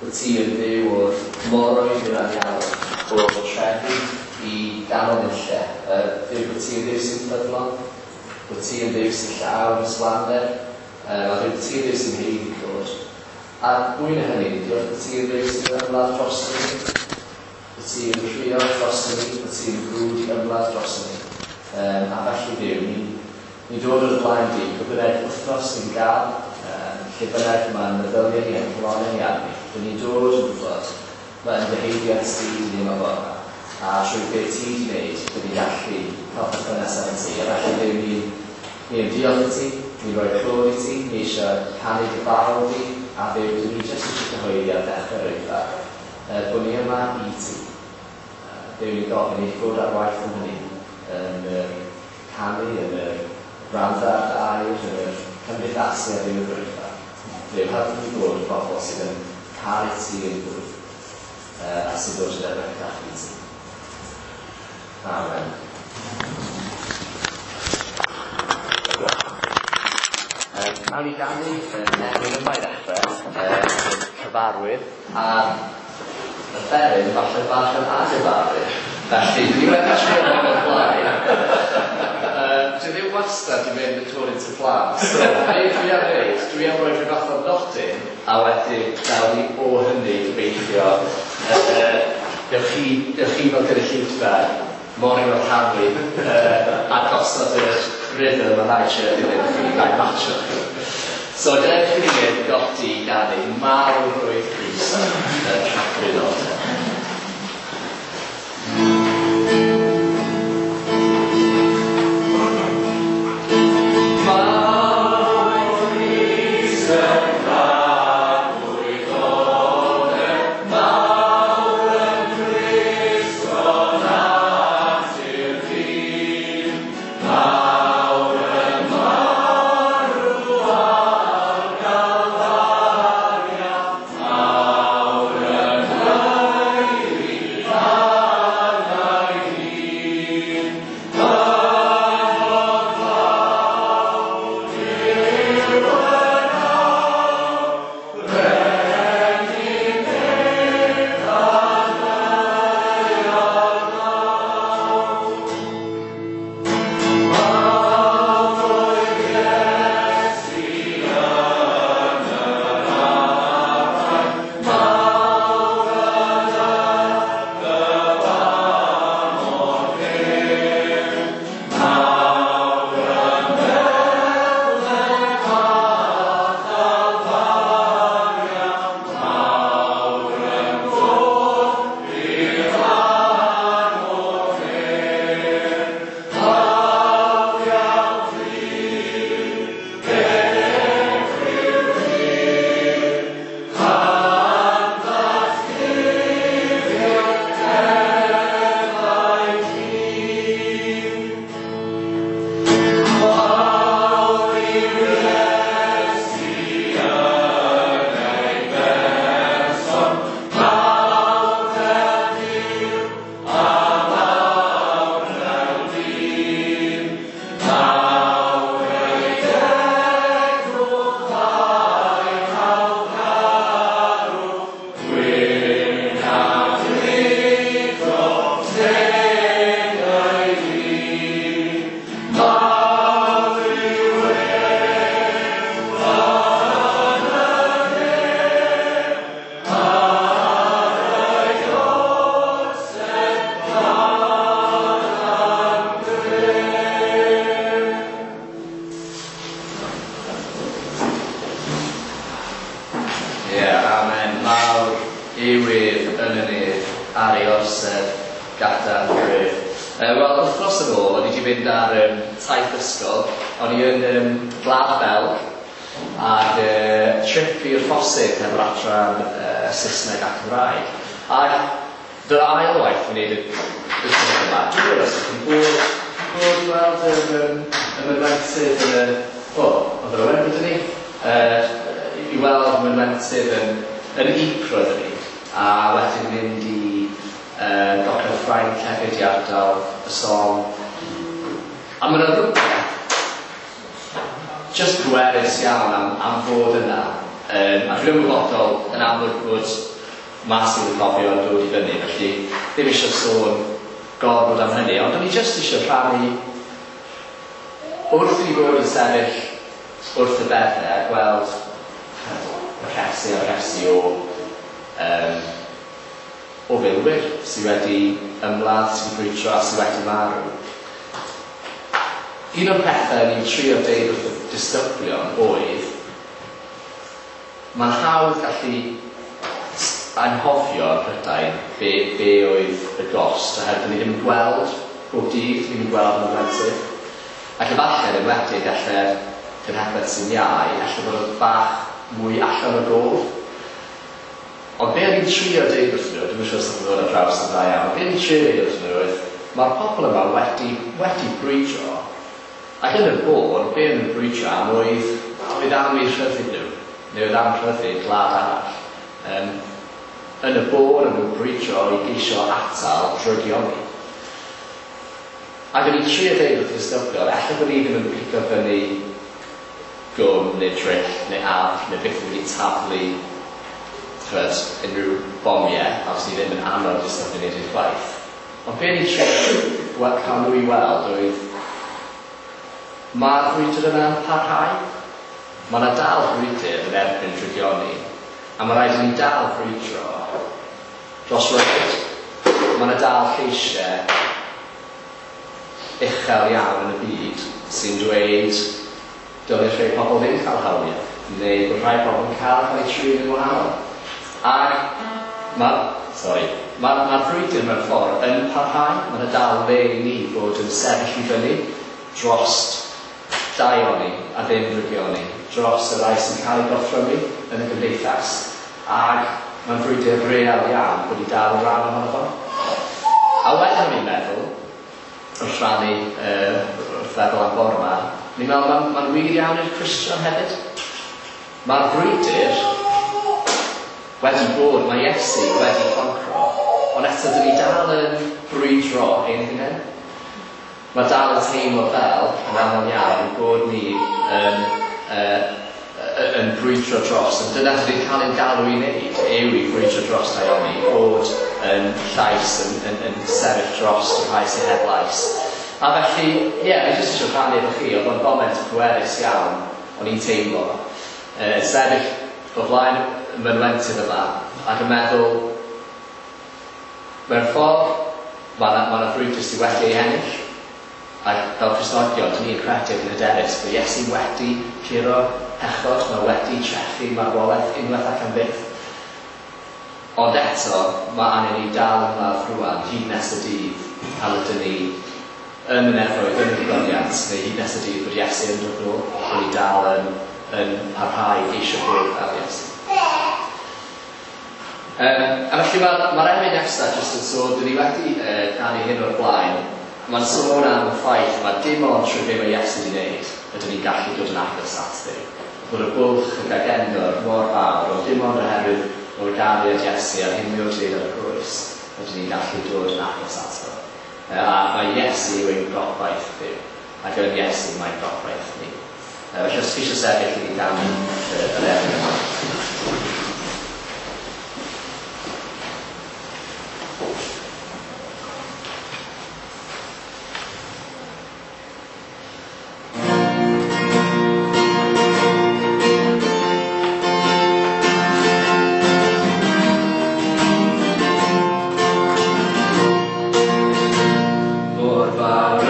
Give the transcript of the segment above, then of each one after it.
Bod ti yn Dduw o'r moroedd i'r anialwch, o'r trefi i ganol nunlle. Dduw, bod ti yn Dduw sy'n ffyddlon, bod ti yn Dduw sy'n llawn ysblander, a Dduw, bod ti yn Dduw sy'n haeddu clod. A mwy na hynny, diolch bod ti yn Dduw sy'n ymladd drosto ni, bod ti yn rhuo drosto ni, bod ti'n frwd i ymladd drosto ni. A felly Dduw, ni'n ni dod o'r blaen di, pwy bynnag wythnos ni'n gael, lle bynnag mae'n meddyliau ni a'n calonnau ni arni, dyn ni'n dod yn gwybod mae yn dyheiddiant ti i ni yma bore 'ma, a trwy be ti wedi wneud, dyn ni'n gallu cael perthynas efo ti. A felly Dduw, ni'n ni yn diolch i ti, ni'n rhoi clod i ti, ni eisiau canu dy fawl di, a Dduw, dyn ni jyst eisiau cyhoeddi ar ddechrau'r oedfa, bod ni yma i ti. Dduw, ni'n gofyn i ti fod ar waith yn hynny, yn yr canu, yn yr gwrando ar dy air, yn yr cymdeithasu â Duw yr oedfa. Dduw, helpu ni fod yn bobl sydd yn caru ti yn fwy, a sy'n dod yn ebycach i ti. Amen. Nawn ni ganu yn emyn yma i ddechrau, cyfarwydd, a'r offeryn falle bach yn anghyfarwydd. Felly, dwi wedi trio hwn o'r blaen. Dwi ddim wastad yn mynd according to plan. So, be dwi am wneud, dwi am roi rhyw fath o nodyn, a wedyn nawn ni o hynny gobeithio, dewch chi, dewch chi fel gynulleidfa, mor i'w rhannu, a gosod y rhythm a na i trio dilyn chi, na i matcho chi. So, dewch i ni mynd godi i ganu mawr oedd Crist yn rhagfyr nodau. mas i'n cofio yn dod i fyny, felly ddim eisiau sôn gorfod am hynny, ond o'n i jyst eisiau rhannu wrth i ni fod yn sefyll wrth y beddau a gweld y rhesi a rhesi o filwyr sydd wedi ymladd, sydd wedi brwydro a sydd wedi marw. Un o'r pethau ni'n trio deud wrth y disgyblion oedd, mae'n hawdd gallu anghofio yn Prydain be oedd y gost, oherwydd ni ddim yn gweld bob dydd, ni ddim yn gweld yn blentyn. Ac efallai, yn enwedig, alle'r cenhedlaeth sy'n iau, alle bod yn bach mwy allan o gof. Ond be o'n i'n trio deud wrthyn nhw, dwi'm yn siŵr os oedd yn dod ar draws yn dda iawn, ond be o'n i'n trio deud wrthyn nhw oedd, mae'r pobl yma wedi brwydro, ac yn y bôn, be o'n nhw'n brwydro am oedd am eu rhyddid nhw, neu oedd am rhyddid gwlad arall. Yn y bôn o'n nhw'n brwydro i geisio atal drygioni. Ac o'n i'n trio deud wrth y disgyblion, ella bod ni ddim yn pigo fyny gwm neu dryll neu afr neu beth wedi taflu unrhyw bomiau, a os ni ddim yn annog disgyblion i wneud gwaith. Ond be o'n i'n trio cael nhw i weld oedd, mae'r brwydr yna'n parhau. Mae yna dal brwydr yn erbyn drygioni, a mae rhaid i ni dal brwydro dros ryddid. Mae yna dal lleisiau uchel iawn yn y byd sy'n dweud dylai rhai pobl ddim cael hawliau, neu bod rhai pobl yn cael eu trin yn wahanol. Ac mae'r frwydr mewn ffordd yn parhau. Mae yna dal le i ni fod yn sefyll i fyny dros daioni a ddim drygioni, dros y rhai sy'n cael eu gorthrymu yn y gymdeithas, ac mae'n frwydr real iawn bod i dal yn rhan ohono fo. A wedyn o'n i'n meddwl, wrth rhannu, wrth feddwl am bore yma, ni'n meddwl mae'n wir iawn i'r Cristion hefyd. Mae'r brwydr wedi bod, mae Iesu wedi concro, ond eto dyn ni dal yn brwydro ein hunain. Mae dal yn teimlo fel, yn aml iawn, bod ni yn brwydro dros, ond dyna dyn ni'n cael ein galw i wneud, yw i brwydro dros daioni, bod yn llais, yn sefyll dros y rhai sydd heb lais. A felly, ie, fi jyst eisiau rhannu efo chi, oedd o'n foment pwerus iawn, o'n i'n teimlo. Sefyll o flaen y mynwentydd yma, ac yn meddwl, mewn ffordd, mae yna frwydr sydd wedi ei ennill, ac fel Cristnogion, dyn ni'n credu yn hyderus bod Iesu wedi curo pechod, mae wedi trechu marwolaeth unwaith ac am byth. Ond eto, mae angen ni dal ymladd rŵan, hyd nes y dydd, pan ydyn ni yn y nefoedd, yn y gogoniant, neu hyd nes y dydd bod Iesu yn dod nôl, bod ni dal yn parhau eisiau bod fel Iesu. A felly mae'r emyn nesaf jyst yn sôn, dyn ni wedi canu hyn o'r blaen, mae'n sôn am y ffaith mae dim ond trwy be mae Iesu wedi wneud ydyn ni'n gallu dod yn agos at Dduw. Bod y bwlch y gagendor mor fawr, ond dim ond oherwydd o'r gariad Iesu a'r hyn mae o wedi wneud ar y groes, ydyn ni'n gallu dod yn agos ato. A mae Iesu yw ein gobaith Dduw, ac yn Iesu mae'n gobaith ni. Felly os chi eisiau sefyll i ni ganu yr emyn yma. Mor fawr y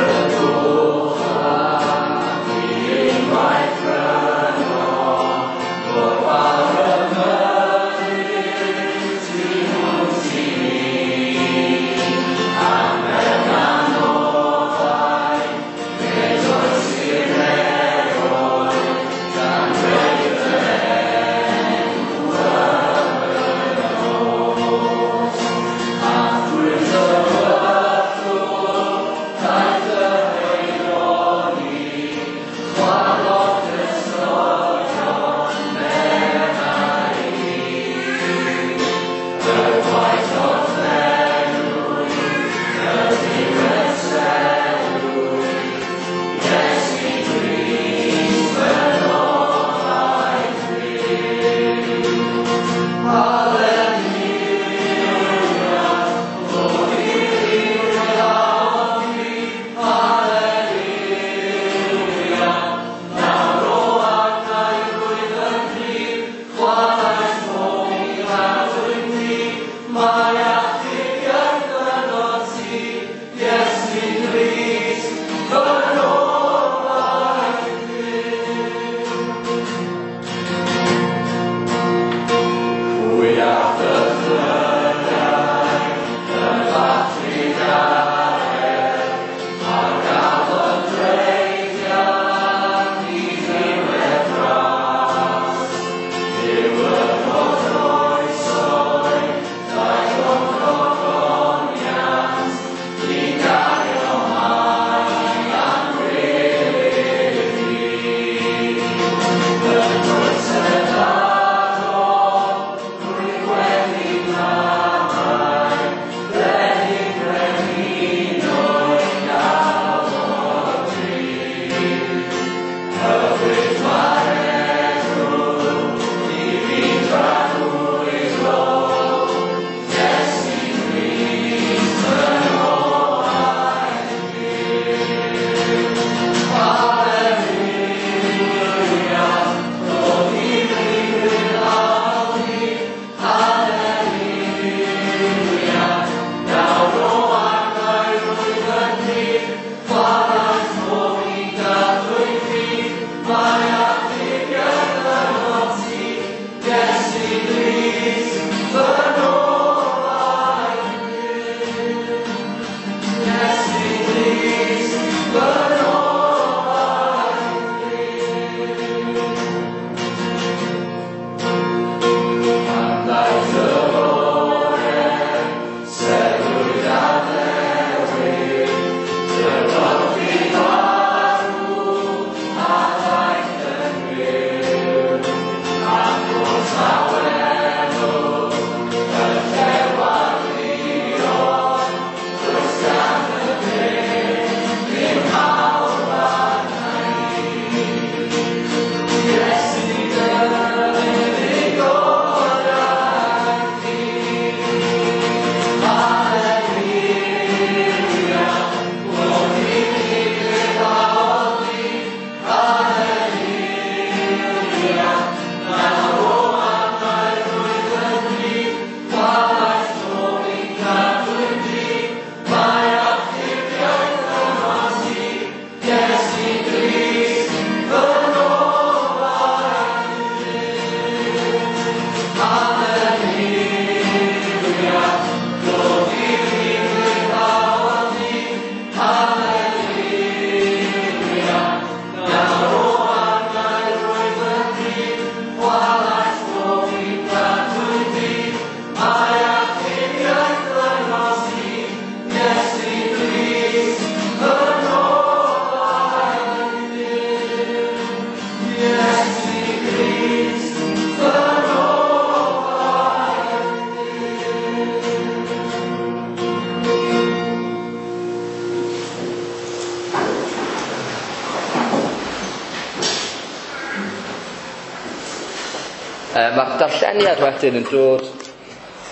Mae'r darlleniad wedyn yn dod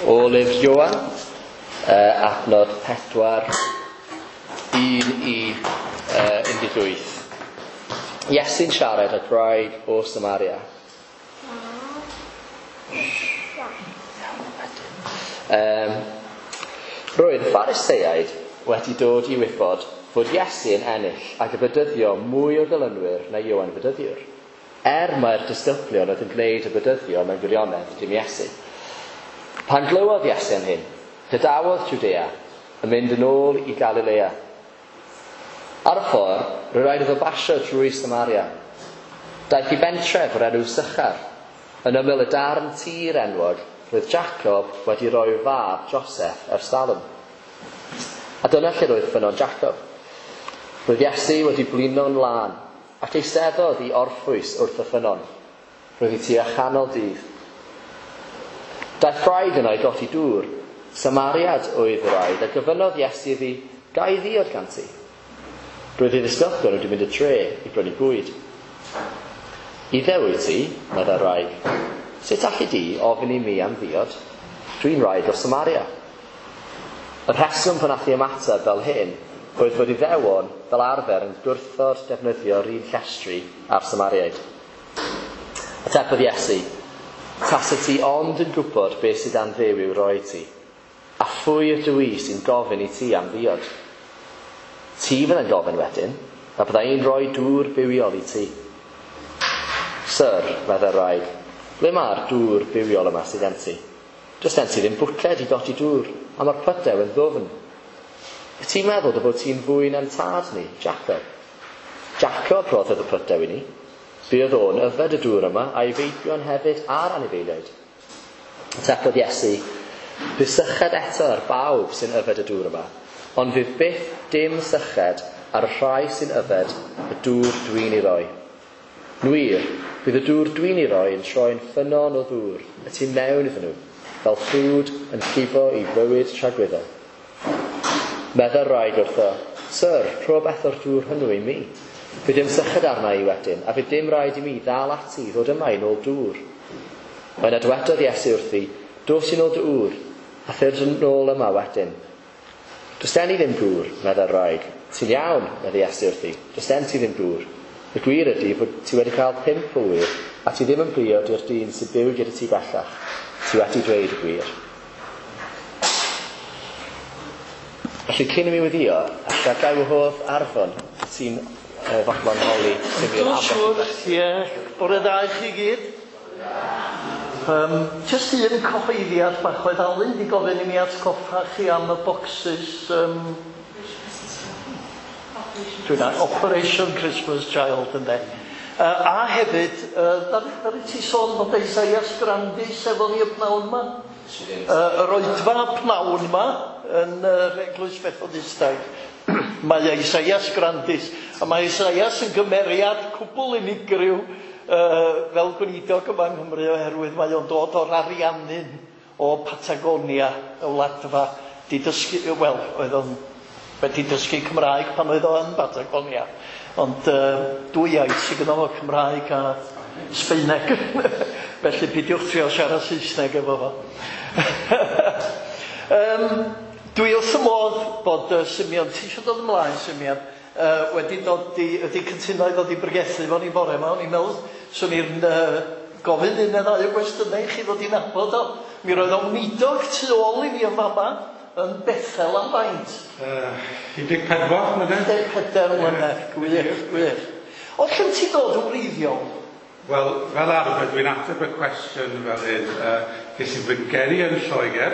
o lyfr Ioan, adnod 4, 1 i 18. Iesu'n siarad â gwraig o Samaria. Roedd y Phariseaid wedi dod i wybod fod Iesu yn ennill ac y bedyddio mwy o ddilynwyr na Ioan Fedyddiwr, er mai'r disgyblion oedd yn gwneud y bedyddio mewn gwirionedd, dim Iesu. Pan glywodd Iesu am hyn, gadawodd Jwdea yn mynd yn ôl i Galilea. Ar y ffordd, roedd rhaid iddo basio drwy Samaria. Daeth i bentref o'r enw Sychar, yn ymyl y darn tir enwog roedd Jacob wedi rhoi fab Joseph ers talwm. A dyna lle roedd ffynnon Jacob. Roedd Iesu wedi blino'n lân ac eisteddodd i orffwys wrth y ffynnon. Roedd hi tua chanol dydd. Daeth gwraig yno i godi dŵr. Samariad oedd y wraig, a gofynnodd Iesu iddi, "Ga i ddiod gan ti?" Roedd ei ddisgyblion wedi mynd y dre i brynu bwyd. "Iddew wyt ti," meddai'r wraig. "Sut alli di ofyn i mi am ddiod? Dwi'n wraig o Samaria." Y rheswm pan nath hi ymateb fel hyn oedd fod Iddewon fel arfer yn gwrthod defnyddio'r un llestri â'r Samariaid. Atebodd Iesu, "Tasa ti ond yn gwybod beth sydd gan Dduw i'w roi ti, a phwy ydw i sy'n gofyn i ti am ddiod? Ti fyddai'n gofyn wedyn, a bydda i'n rhoi dŵr bywiol i ti." "Syr," meddai'r wraig, "ble mae'r dŵr bywiol yma sydd gen ti? Does gen ti ddim bwced i godi dŵr, a mae'r pydew yn ddwfn. Wyt ti'n meddwl dy fod ti'n fwy na'n tad ni, Jacob? Jacob roddodd y pydew i ni. Buodd o'n yfed y dŵr yma, a'i feibion hefyd a'r anifeiliaid." Atebodd Iesu, "Bydd syched eto ar bawb sy'n yfed y dŵr yma, ond fydd byth dim syched ar y rhai sy'n yfed y dŵr dwi'n ei roi. Yn wir, bydd y dŵr dwi'n ei roi yn troi'n ffynnon o ddŵr y tu mewn iddyn nhw, fel ffrwd yn llifo i fywyd tragwyddol." Meddai'r wraig wrtho, "Syr, rho beth o'r dŵr hwnnw i mi. Fydd dim syched arna i wedyn, a fydd dim rhaid i mi ddal ati i ddod yma i nôl dŵr." Yna dywedodd Iesu wrthi, "Dos i nôl dy ŵr, a thyrd yn ôl yma wedyn." "Does gen i ddim gŵr," meddai'r wraig. "Ti'n iawn," meddai Iesu wrthi, "does gen ti ddim gŵr. Y gwir ydy fod ti wedi cael 5 o ŵyr, a ti ddim yn briod i'r dyn sy'n byw gyda ti bellach. Ti wedi dweud y gwir." Felly, cyn i mi weddïo, alla gai wahodd Arfon, ti'n fodlon holi Simeon Dwi'n am siŵr, ie. Bore dda i chi gyd. Jyst un cyhoeddiad bach oedd Alun 'di gofyn i mi atgoffa chi am y bocsys dwi'n Operation Christmas Child, ynde. A hefyd, ddaru ti sôn bod Isaias Grandis efo ni y pnawn 'ma? Yr oedfa pnawn 'ma yn yr Eglwys Fethodistaidd. Mae Isaias Grandis, a mae Isaias yn gymeriad cwbl unigryw fel gweinidog yma yng Nghymru, oherwydd mae o'n dod o'r Ariannin o Patagonia, y wladfa, di dysgu, wel, oedd o'n wedi dysgu Cymraeg pan oedd o yn Patagonia, ond dwy iaith sydd gynno fo, Cymraeg a Sbaeneg, felly peidiwch trio siarad Saesneg efo fo. Dwi wrth y modd bod Simeon, ti eisiau dod ymlaen, Simeon, wedi dod i, wedi cytuno i ddod i bregethu fo ni bore yma. O'n i'n meddwl, swn i'n gofyn un neu ddau o gwestiynau i chi ddod i nabod o. Mi roedd o'n weinidog tu ôl i fi yn fama, yn Bethel am faint? 14 mlynedd. 14 mlynedd, gwych, gwych. O lle ti dod yn wreiddiol? Wel, fel arfer, dwi'n ateb y cwestiwn fel hyn. Ges i fy ngeni yn Lloegr,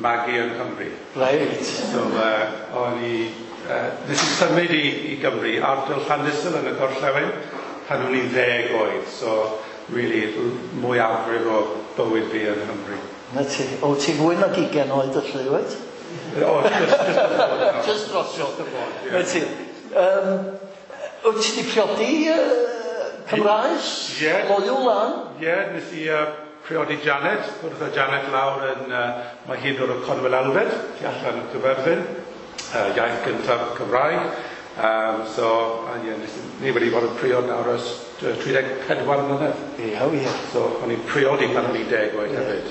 magu yn Nghymru. Reit. So, o'n i, nes i symud i Gymru, ardal Llandysul yn y gorllewin, pan o'n i'n 10 oed. So, really, mwyafrif o bywyd fi yn Nghymru. Na ti. O, ti'n fwy nag 20 oed felly, wyt? O, just y bod. Just drosodd. Just y bod, ie. Na ti. Wyt ti 'di priodi Cymraes? Ie. Loyw lan? Ie, nes i priodi Janet, wrth â Janet lawr yn, mae hi'n dod o Conwil Elfed, tu allan o Gyferfyn, iaith gyntaf Cymraeg. So, yeah, ni wedi bod yn priod nawr ers 34 mlynedd. Ie, ie. So, o'n i'n priodi pan o'n i'n 10 oed hefyd.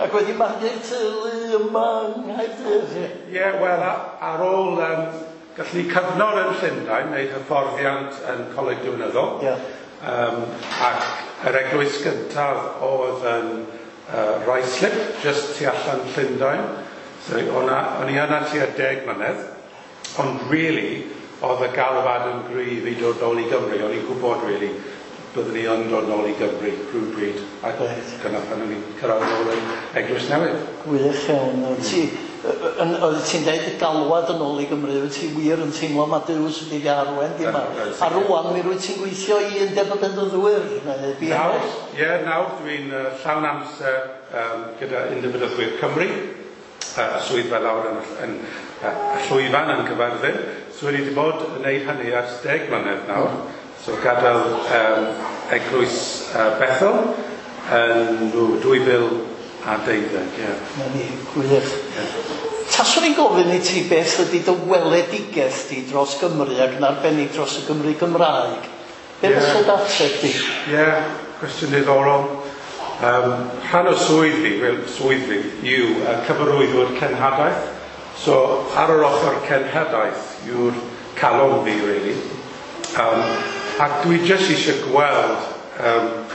Ac wedi magu teulu yma yng Nghaerdydd. Ie, wel, ar ôl gallwn ni cyfnod yn Llundain, wneud hyfforddiant yn Coleg Diwinyddol. Yeah. Ac yr eglwys gyntaf oedd yn Ruislip, just tu allan Llundain. So, o'n i yna tua 10 mlynedd, ond really, oedd y galwad yn gryf i dod nôl i Gymru. O'n i'n gwybod, really, byddwn i yn dod nôl i Gymru rhywbryd. Ac dyna pan o'n i'n cyrraedd nôl yn Eglwys Newydd. Gwych iawn. Oedd ti'n dweud y galwad yn ôl i Gymru, wyt ti wir yn teimlo mae Duw sydd wedi arwain di yma. A rwan, mi rwyt ti'n gweithio i Undeb y Bedyddwyr, neu BMS? Ie, nawr dwi'n llawn amser gyda Undeb y Bedyddwyr Cymru, y swyddfa lawr yn y llwyfan yn Cyfarthfa. So wedi bod yn gwneud hynny ers 10 mlynedd nawr. So gadael Eglwys Bethel yn 2012, ie. Na ni, gwych. Taswn i'n gofyn i ti beth ydy dy weledigaeth di dros Gymru ac yn arbennig dros y Gymru Gymraeg. Be fysa dy ateb di? Ie, cwestiwn diddorol. Rhan o swydd fi yw cyfarwyddwr cenhadaeth. So ar yr ochr cenhadaeth yw'r calon fi, really. Ac dwi jyst eisiau gweld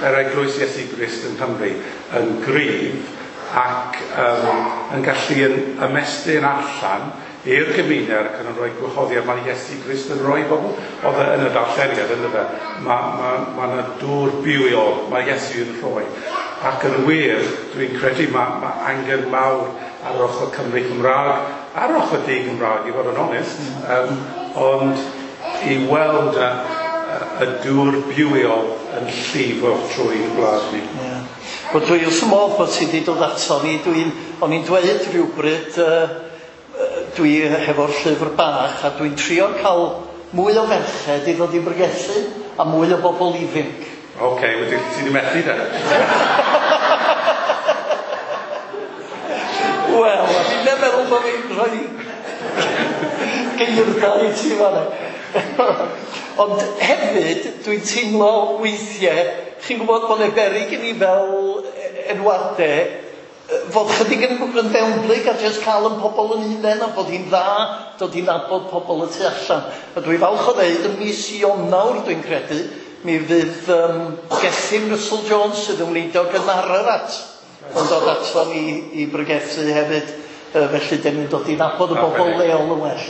yr Eglwys Iesu Grist yng Nghymru yn gryf ac yn gallu ymestyn allan i'r gymuned ac yn rhoi gwahoddiad mae Iesu Grist yn rhoi bobl. Oedd e yn y darlleniad, ynddo fe. Mae yna dŵr bywiol, mae Iesu yn rhoi. Ac yn wir, dwi'n credu mae angen mawr ar yr ochr Cymru Cymraeg, ar yr ochr di Gymraeg, i fod yn onest, ond i weld y dŵr bywiol yn llifo trwy'n gwlad ni. Yeah. Wel, dwi wrth fy modd bod ti wedi dod ato ni. O'n i'n dweud rhywbryd, dwi hefo'r llyfr bach a dwi'n trio cael mwy o ferched i ddod i bregethu a mwy o bobl ifanc. Oce, wedi ti wedi methu de? Wel, a fi'n meddwl bod fi'n rhoi geirda i ti fan'na. Ond hefyd, dwi'n teimlo weithiau, chi'n gwybod bod yna beryg i ni fel enwadau, fod chydig yn fewnblyg a jyst cael yn pobl yn hunain a bod hi'n dda dod i nabod pobl y tu allan. A dwi falch o ddeud, ym mis Ionawr dwi'n credu, mi fydd Gethin Russell Jones sydd yn weinidog yn Ararat yn dod ato ni i bregethu hefyd. Felly, dyn ni'n dod i nabod y bobl leol yn well.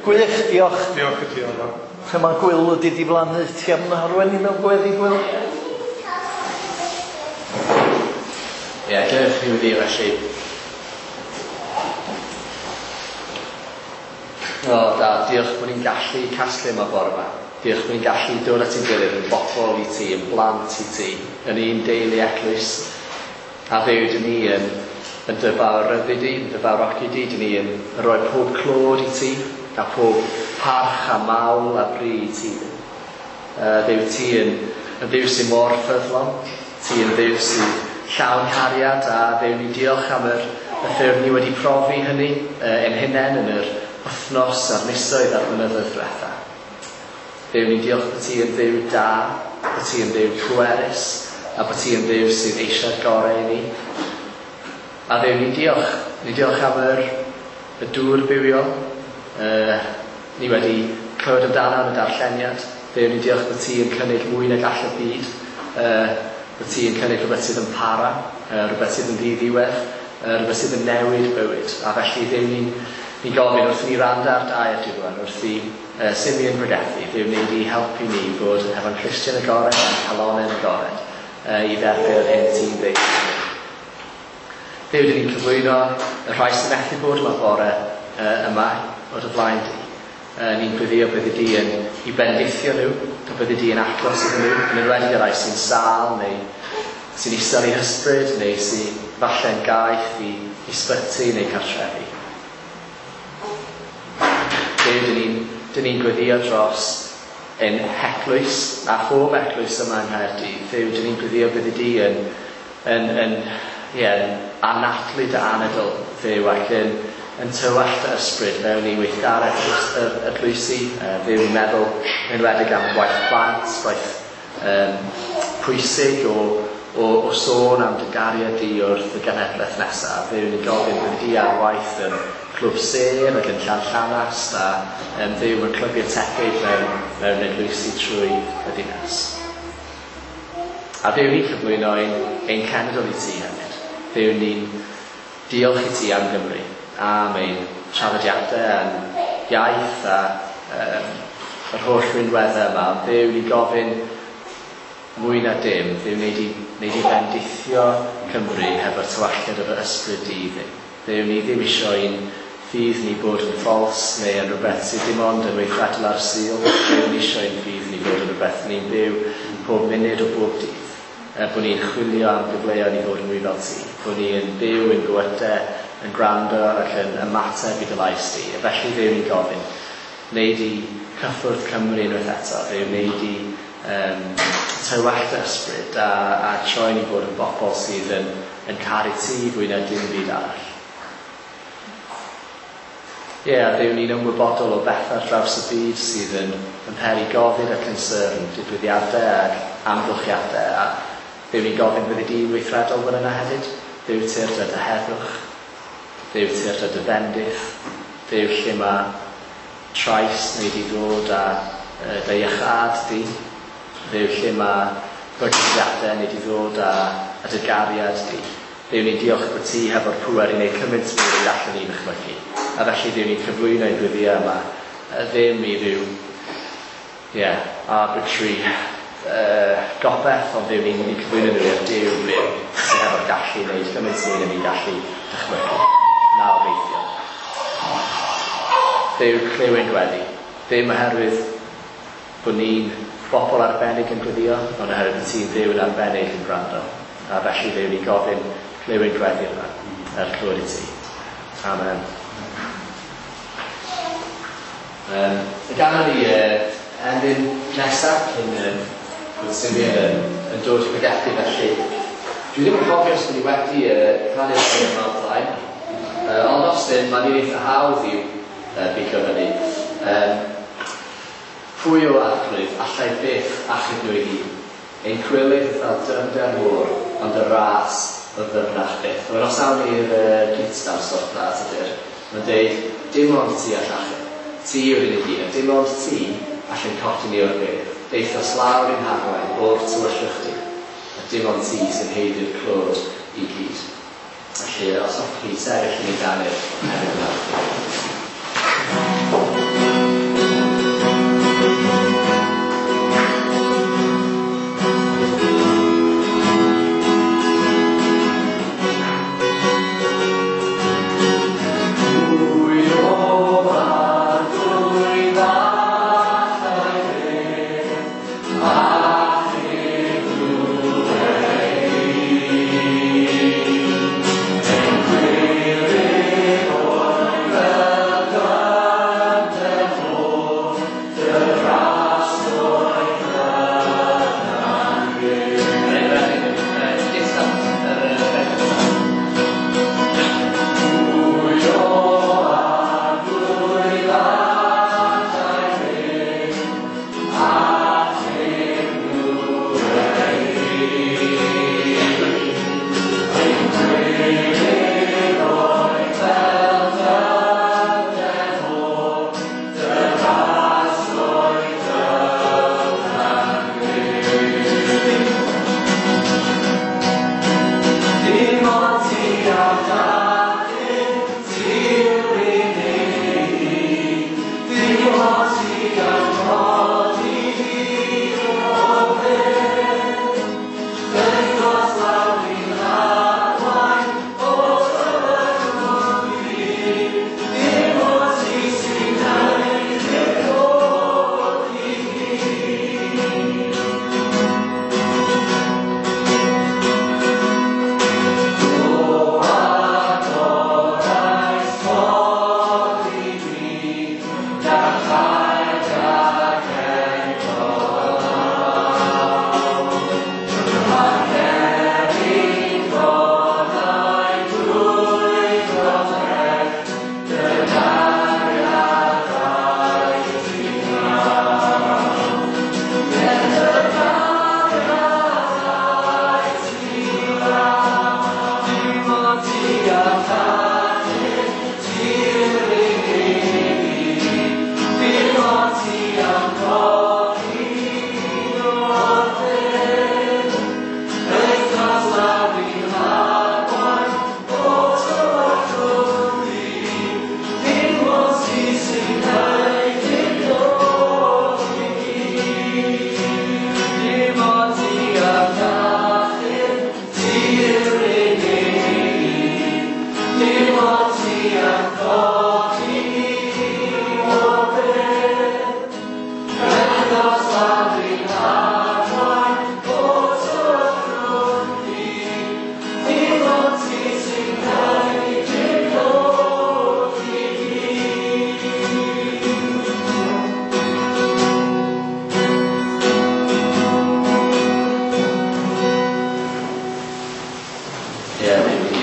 Gwych, diolch. Diolch i ti, Oliver. Lle mae Gwyl wedi diflannu, ti am arwain ni mewn gweddi, Gwyl? Ie, diolch i wedi felly. O, da, diolch bod ni'n gallu casglu yma bore yma. Diolch bod ni'n gallu dod at ein gilydd yn bobl i ti, yn blant i ti, yn un deulu eglwys. A Dduw, dyn ni yn dy fawryddu di, yn dy fawrogi di, dyn ni yn rhoi pob clod i ti, a pob parch a mawl a bri i ti. Dduw, ti yn Dduw sy'n mor ffyddlon, ti yn Dduw sy'n llawn cariad, a Dduw, ni diolch am y ffyrdd ni wedi profi hynny ein hunain yn yr wythnos a'r misoedd a'r blynyddoedd diwetha. Dduw, ni diolch bod ti yn Dduw da, bod ti yn Dduw pwerus, a bod ti yn Dduw sydd eisiau'r gorau i ni. A Dduw, ni'n diolch. Ni'n diolch am y dŵr bywiol. Ni wedi clywed amdano yn y darlleniad. Dduw, ni'n diolch bod ti yn cynnig mwy nag all y byd. Bod ti yn cynnig rhywbeth sydd yn para, rhywbeth sydd yn ddiddiwedd, rhywbeth sydd yn newid bywyd. A felly, Dduw, ni'n gofyn wrth i ni wrando ar dy air di rwan, wrth i Simeon bregethu, Dduw, wnei di helpu ni fod hefo'n clustiau'n agored a'n calonnau'n agored i dderbyn yr hyn ti'n ddeud. Dduw, dyn ni'n cyflwyno y rhai sy'n methu bod yma bore yma o dy flaen di. Ni'n gweddio byddi di yn i bendithio nhw, a byddi di yn agos iddyn nhw, yn enwedig y rhai sy'n sâl neu sy'n isel eu hysbryd, neu sy'n falle'n gaeth i ysbyty neu cartrefi. Dduw, dyn ni'n gweddio dros ein heglwys a phob eglwys yma yng Nghaerdydd. Dduw, dyn ni'n gweddio byddi di yn anadlu dy anadl, Dduw, ac yn yn tywallt dy ysbryd mewn i weithgaredd yr eglwysi. Dduw, ni'n meddwl yn enwedig am gwaith plant, gwaith pwysig o sôn am dy gariad di wrth y genhedlaeth nesaf. Dduw, ni'n gofyn byddi di ar waith yn Clwb Sêr ac yn Llanllanast a Dduw, mewn clybiau tebyg mewn eglwysi trwy y ddinas. A Dduw, ni'n cyflwyno ein cenedl i ti hefyd. Dduw, ni'n diolch i ti am Gymru, am ein traddodiadau a'n iaith a yr holl rinweddau yma. Ond Dduw, ni'n gofyn mwy na dim, Dduw, wneud i fendithio Cymru hefo'r tywalltiad o dy ysbryd di, Dduw. Dduw, ni ddim isio i'n ffydd ni bod yn ffals neu yn rhywbeth sydd dim ond yn weithredol ar Sul. Dduw, ni isio i'n ffydd ni bod yn rhywbeth ni'n byw pob munud o bob dydd. Bod ni'n chwilio am gyfleoedd i fod yn mwy fel ti. Bod ni'n byw yn bywydau, yn gwrando ac yn ymateb i dy lais di. A felly Dduw, ni'n gofyn, wneud i cyffwrdd Cymru unwaith eto. Dduw, wneud i tywallt dy ysbryd a troi ni bod yn bobl sydd yn caru ti fwy na dim byd arall. Ie, a Dduw, ni'n ymwybodol o bethau ar draws y byd sydd yn peri gofid a concern, digwyddiadau ac amgylchiadau. A Dduw, ni'n gofyn byddi di'n weithredol fan yna hefyd. Dduw, tyrd â dy heddwch. Dduw, tyrd â dy fendith. Dduw, lle mae trais neu di ddod â dy iachâd di. Dduw, lle mae bygythiadau neu di ddod â dy gariad di. Dduw, ni'n diolch bod ti hefo'r pŵer i wneud cymaint mwy nag allwn ni ddychmygu. A felly Dduw, ni'n cyflwyno ein gweddiau yma ddim i ryw arbitrary gobeth, ond Dduw, ni'n cyflwyno nhw i'r Duw byw sydd hefo'r gallu i wneud cymaint mwy na ni'n gallu dychmygu. Na obeithio. Dduw, clyw ein gweddi. Ddim oherwydd bod ni'n bobl arbennig yn gweddio, ond oherwydd bod ti'n Dduw yn arbennig yn gwrando. A felly Dduw, ni'n gofyn clyw ein gweddi yma, er clywed i ti. Amen. Y ganwn ni emyn nesaf cyn bod Simeon yn dod i pregethu, felly dwi ddim yn cofio os ni wedi canu'r emyn yma o'r blaen, ond os ddim, mae'n un eitha hawdd i'w bigo fyny. Pwy o Arglwydd allai byth achub nhw ei hun? Ein cwilydd fel dyfnder môr, ond y ras o ddyfnach byth. Wel, os awn ni'r gytgan stopla ydy'r, mae'n deud, dim ond ti all achub. Ti yw'r unig un, a dim ond ti allan codi ni o'r bedd. Deithos lawr i'n harwain o'r tywyllwch di, a dim ond ti sy'n haeddu'r clod i gyd. Felly, os hoffech chi sefyll i ni ganu'r emyn yma.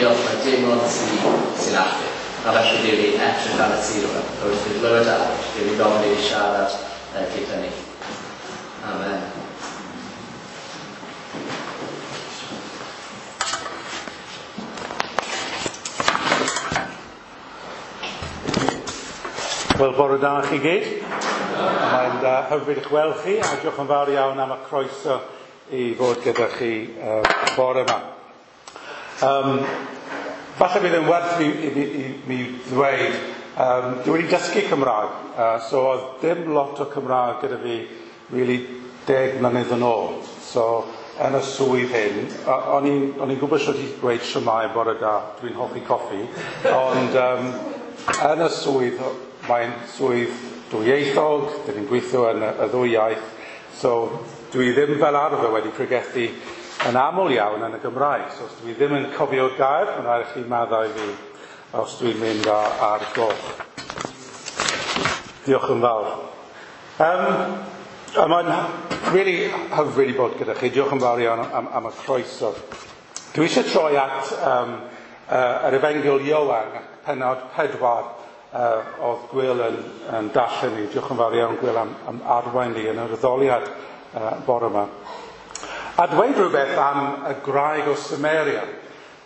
diolch mae dim ond ti sy'n achub. A felly Duw, ni'n edrych ar y ti rwan. Wrth i glywed awr, Duw, ni'n gofyn i siarad gyda ni. Amen. Wel, bore da chi gyd. Mae'n hyfryd eich weld chi, a diolch yn fawr iawn am y croeso i fod gyda chi bore yma. Falle bydd yn werth i mi ddweud, dwi wedi dysgu Cymraeg, so oedd dim lot o Cymraeg gyda fi really 10 mlynedd yn ôl. So, yn y swydd hyn, o'n i'n gwybod sut i dweud shwmae bore da, dwi'n hoffi coffi, ond yn y swydd, mae'n swydd dwyieithog, dyn ni'n gweithio yn y ddwy iaith, so dwi ddim fel arfer wedi pregethu yn aml iawn yn y Gymraeg, so os dwi ddim yn cofio'r gair, mae'n rhaid i chi maddau fi os dwi'n mynd ar goll. Diolch yn fawr. A mae'n really hyfryd i bod gyda chi. Diolch yn fawr iawn am y croeso. Dwi eisiau troi at yr Efengyl Ioan, pennod 4, oedd Gwyl yn darllen ni. Diolch yn fawr iawn, Gwyl, am arwain ni yn yr addoliad bore yma. A dweud rhywbeth am y gwraig o Samaria.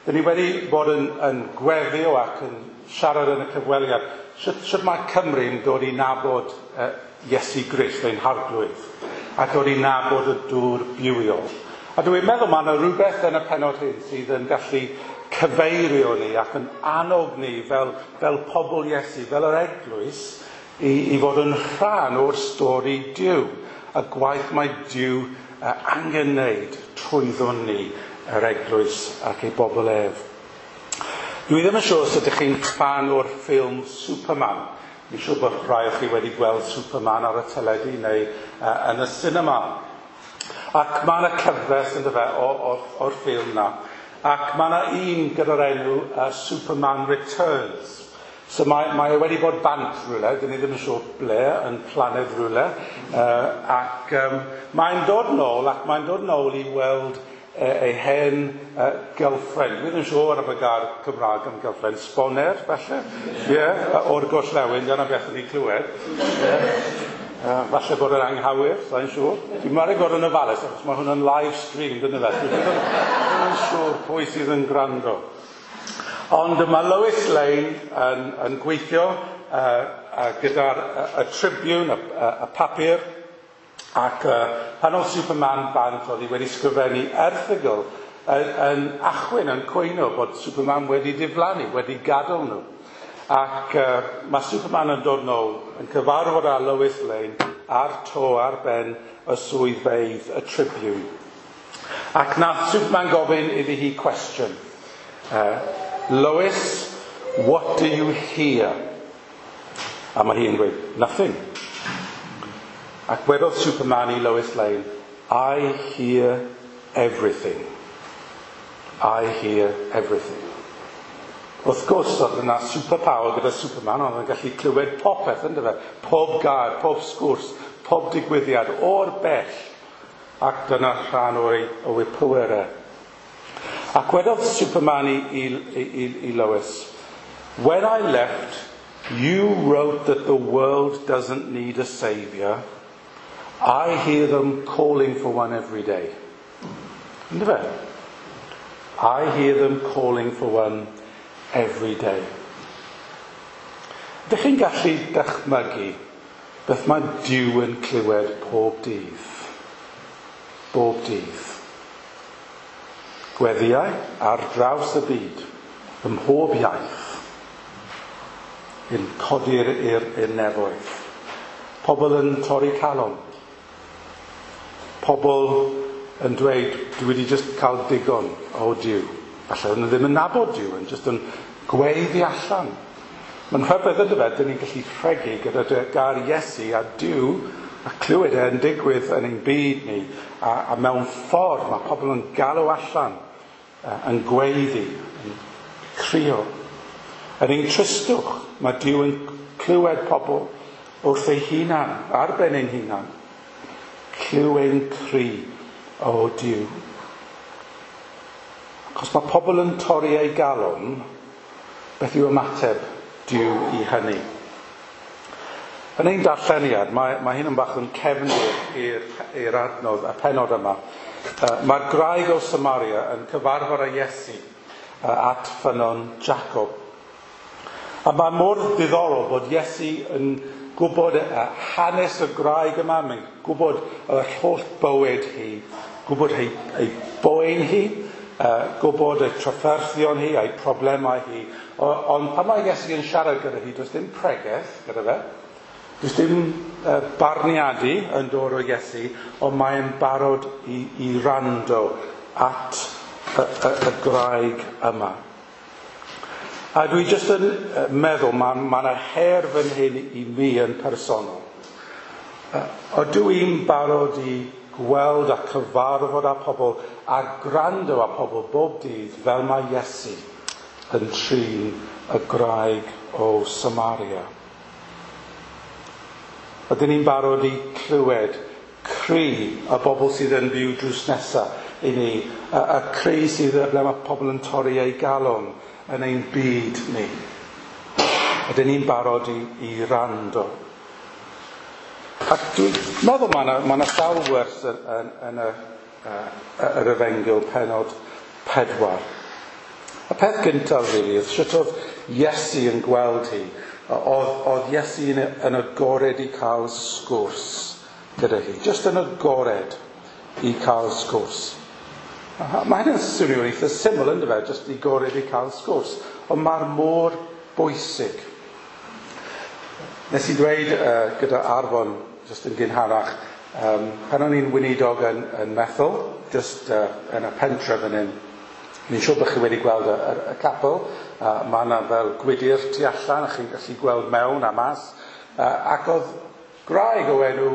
Dyn ni wedi bod yn gweddio ac yn siarad yn y cyfweliad. Sut mae Cymru'n dod i nabod Iesu Grist, ein harglwydd, a dod i nabod y dŵr bywiol. A dwi'n meddwl mae yna rhywbeth yn y pennod hyn sydd yn gallu cyfeirio ni ac yn annog ni fel pobl Iesu, fel yr eglwys, i fod yn rhan o'r stori Duw, y gwaith mae Duw angen wneud trwyddon ni, yr eglwys ac ei bobl ef. Dwi ddim yn siŵr os ydych chi'n fan o'r ffilm Superman. Dwi'n siŵr bod rhai o chi wedi gweld Superman ar y teledu neu yn y cinema. Ac mae yna cyfres yndyfe o'r ffilm na. Ac mae yna un gyda'r enw Superman Returns. So mae e wedi bod bant rhywle, dyn ni ddim yn siŵr ble, yn planed rhywle. Ac mae'n dod nôl, ac mae'n dod nôl i weld ei hen girlfriend. Dwi ddim yn siŵr am y gair Cymraeg am girlfriend, sboner, falle? Yeah, o'r gorllewin, dyna beth o'n i'n clywed. Yeah. Falle bod yn anghywir, sa'n siŵr. Dwi'n meddwl bod yn ofalus, achos mae hwn yn live stream, dyna fe. Dwi ddim yn siŵr pwy sydd yn gwrando. Ond mae Lois Lane yn gweithio gyda'r y Tribune, y papur, ac pan oedd Superman bant, oedd hi wedi sgrifennu erthygl yn achwyn, yn cwyno bod Superman wedi diflannu, wedi gadael nhw. Ac mae Superman yn dod nôl, yn cyfarfod â Lois Lane ar to ar ben y swyddfeydd y Tribune. Ac nath Superman gofyn iddi hi cwestiwn. Lois, what do you hear? A mae hi'n gweud, nothing. Ac wedodd Superman i Lois Lane, I hear everything. I hear everything. Wrth gwrs, oedd yna superpower gyda Superman, oedd yn gallu clywed popeth, yndyfe? Pob gair, pob sgwrs, pob digwyddiad, o'r bell. Ac dyna rhan o'i pwerau. Ac wedodd Superman i Lois, when I left, you wrote that the world doesn't need a saviour. I hear them calling for one every day. Yndyfe? I hear them calling for one every day. Ydych chi'n gallu dychmygu beth mae Duw yn clywed pob dydd? Bob dydd. Gweddiau ar draws y byd, ym mhob iaith, yn codi'r i'r nefoedd. Pobl yn torri calon. Pobl yn dweud, dwi wedi just cael digon o Duw. Falle nhw ddim yn nabod Duw, yn just yn gweiddi allan. Mae'n rhyfedd yndyfe, dyn ni'n gallu rhegi gyda gair Iesu a Duw, a clywed e yn digwydd yn ein byd ni, a mewn ffordd mae pobl yn galw allan, yn gweiddi, yn crio. Yn ein tristwch, mae Duw yn clywed pobl wrth ei hunan, ar ben ein hunan. Clyw ein cri, o Duw. Ac Os mae pobl yn torri eu galon, beth yw ymateb Duw i hynny? Yn ein darlleniad, mae hyn yn bach yn cefndir i'r adnodd, y pennod yma. Mae'r graig o Samaria yn cyfarfod â Iesu at ffynnon Jacob. A mae mor ddiddorol bod Iesu yn gwybod hanes y graig yma, mae'n gwybod yr holl bywyd hi, gwybod ei boen hi, gwybod ei trafferthion hi, ei problemau hi. Ond pan mae Iesu yn siarad gyda hi, does dim pregeth gyda fe, does dim barniadu yn dod o Iesu, ond mae'n barod i rando at y graig yma. A dwi jyst yn meddwl, mae yna her fan hyn i mi yn personol. Ydw i'n barod i gweld a cyfarfod â pobl a gwrando â pobl bob dydd fel mae Iesu yn trin y graig o Samaria? Ydyn ni'n barod i clywed cri y bobl sydd yn byw drws nesaf i ni, y cri sydd ble mae pobl yn torri eu galon yn ein byd ni? Ydyn ni'n barod i rando? Ac dwi'n meddwl mae yna sawl wers yn yr Efengyl pennod 4. Y peth gyntaf, really, oedd sut oedd Iesu yn gweld hi. Oedd Iesu yn agored i cael sgwrs gyda hi. Just yn agored i cael sgwrs. Mae hynny'n swnio'n eitha syml, ynddo fe, just i agored i cael sgwrs. Ond mae'r mor bwysig. Nes i dweud gyda Arfon, just yn gynharach, pan o'n i'n weinidog yn Methel, just yn y pentre fan hyn, ni'n siŵr bod chi wedi gweld y capel. Mae yna fel gwydyr tu allan, a chi'n gallu gweld mewn a mas. Ac oedd graig o enw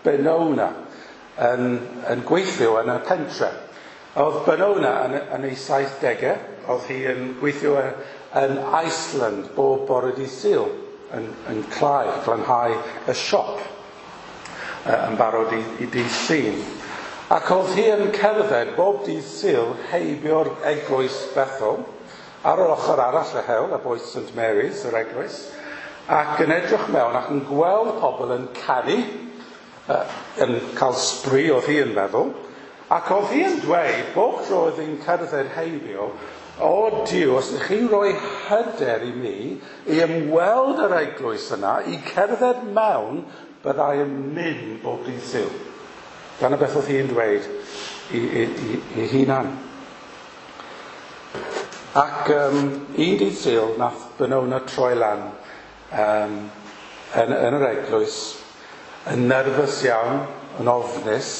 Benona yn gweithio yn y pentre. Oedd Benona yn ei 70au, oedd hi yn gweithio yn Iceland bob bore dydd Sul, yn clai, glanhau y siop yn barod i dydd Llun. Ac oedd hi yn cerdded bob dydd Sul heibio'r eglwys Bethel, ar yr ochr arall y hewl, y bwys St Mary's, yr eglwys, ac yn edrych mewn ac yn gweld pobl yn canu, yn cael sbri oedd hi yn meddwl, ac oedd hi yn dweud, bob tro oedd hi'n cerdded heibio, o Duw, os ydych chi'n rhoi hyder i mi i ymweld yr eglwys yna, i cerdded mewn, byddai yn mynd bob dydd Sul. Dyna beth oedd hi'n dweud i hunan. Ac un dydd Sul, nath Benona troi lan yn yr eglwys, yn nerfus iawn, yn ofnus,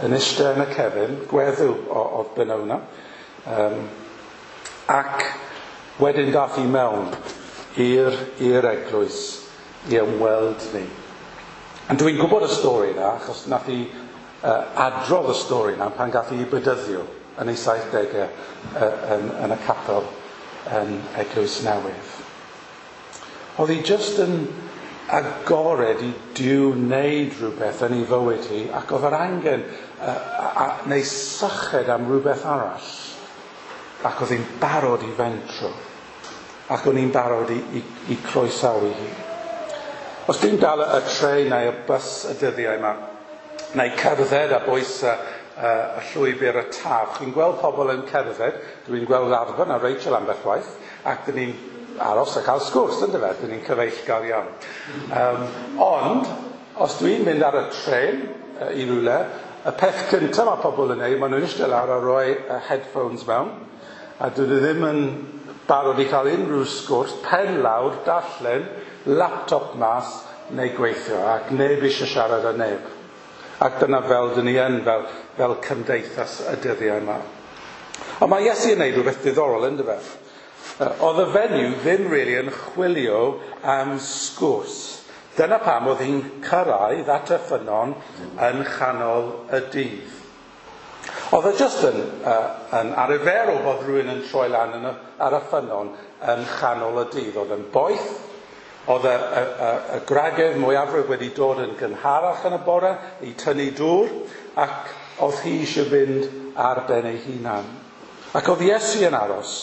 yn eistedd yn y cefn, gweddw oedd Benona. Ac wedyn dath hi mewn i'r eglwys i ymweld ni. A dwi'n gwybod y stori yna, achos nath hi adrodd y stori yna pan gath hi bedyddio yn ei 70au yn y capel yn Eglwys Newydd. Oedd hi just yn agored i Duw wneud rhywbeth yn ei fywyd hi, ac oedd yr angen neu syched am rhywbeth arall. Ac oedd hi'n barod i fentro. Ac o'n i'n barod i croesawu hi. Os dwi'n dal y trên neu y bws y dyddiau yma, neu cerdded a bwys y llwybr y Taf, chi'n gweld pobl yn cerdded, dwi'n gweld Arfon a Rachel ambell waith, ac dyn ni'n aros a cael sgwrs, ynddo fe, dyn ni'n cyfeillgar iawn. Ond, os dwi'n mynd ar y trên i rywle, y peth cyntaf mae pobl yn neud, maen nhw'n eistedd lawr a rhoi headphones mewn, a dyn nhw ddim yn barod i cael unrhyw sgwrs, pen lawr, darllen, laptop mas, neu gweithio, ac neb eisiau siarad â neb. Ac dyna fel dyn ni yn fel cymdeithas y dyddiau yma. Ond mae Iesu yn neud rhywbeth diddorol, ynddo fe? Oedd y fenyw ddim really yn chwilio am sgwrs. Dyna pam oedd hi'n cyrraedd at y ffynnon yn chanol y dydd. Oedd e just yn arferol bod rhywun yn troi lan ar y ffynnon yn chanol y dydd. Oedd yn boeth, oedd y gwragedd mwyafrif wedi dod yn gynharach yn y bore i tynnu dŵr, ac oedd hi eisiau fynd ar ben ei hunan. Ac oedd Iesu yn aros.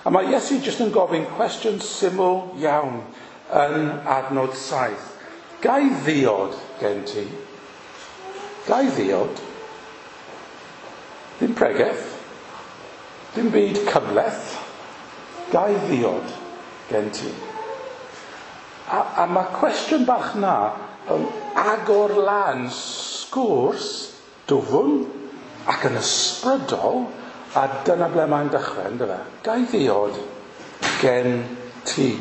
A mae Iesu jyst yn gofyn cwestiwn syml iawn yn adnod 7. Gai ddiod gen ti? Gai ddiod? Ddim pregeth. Dim byd cymhleth. Gai ddiod gen ti? A mae cwestiwn bach na yn agor lan sgwrs dwfn ac yn ysbrydol, a dyna ble mae'n dechrau, ynddo fe? Gai ddiod gen ti?